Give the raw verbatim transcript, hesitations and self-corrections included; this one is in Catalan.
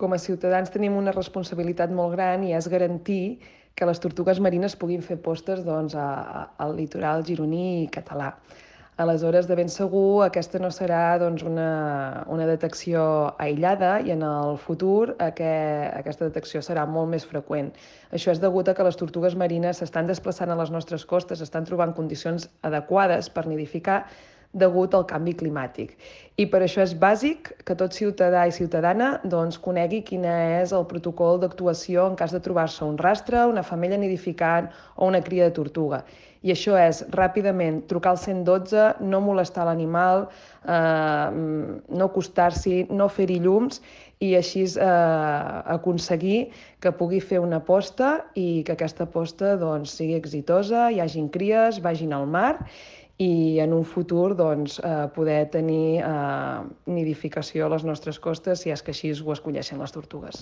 Com a ciutadans tenim una responsabilitat molt gran i és garantir que les tortugues marines puguin fer postes doncs, a, a, al litoral gironí i català. Aleshores, de ben segur, aquesta no serà doncs, una, una detecció aïllada i en el futur aquest, aquesta detecció serà molt més freqüent. Això és degut a que les tortugues marines s'estan desplaçant a les nostres costes, estan trobant condicions adequades per nidificar degut al canvi climàtic. I per això és bàsic que tot ciutadà i ciutadana doncs, conegui quin és el protocol d'actuació en cas de trobar-se un rastre, una femella nidificant o una cria de tortuga. I això és ràpidament trucar al cent i dotze, no molestar l'animal, eh, no acostar-s'hi, no fer-hi llums i així eh, aconseguir que pugui fer una posta i que aquesta posta doncs, sigui exitosa, hi hagin cries, vagin al mar i en un futur doncs, eh, poder tenir eh, nidificació a les nostres costes si és que així ho escolleixen les tortugues.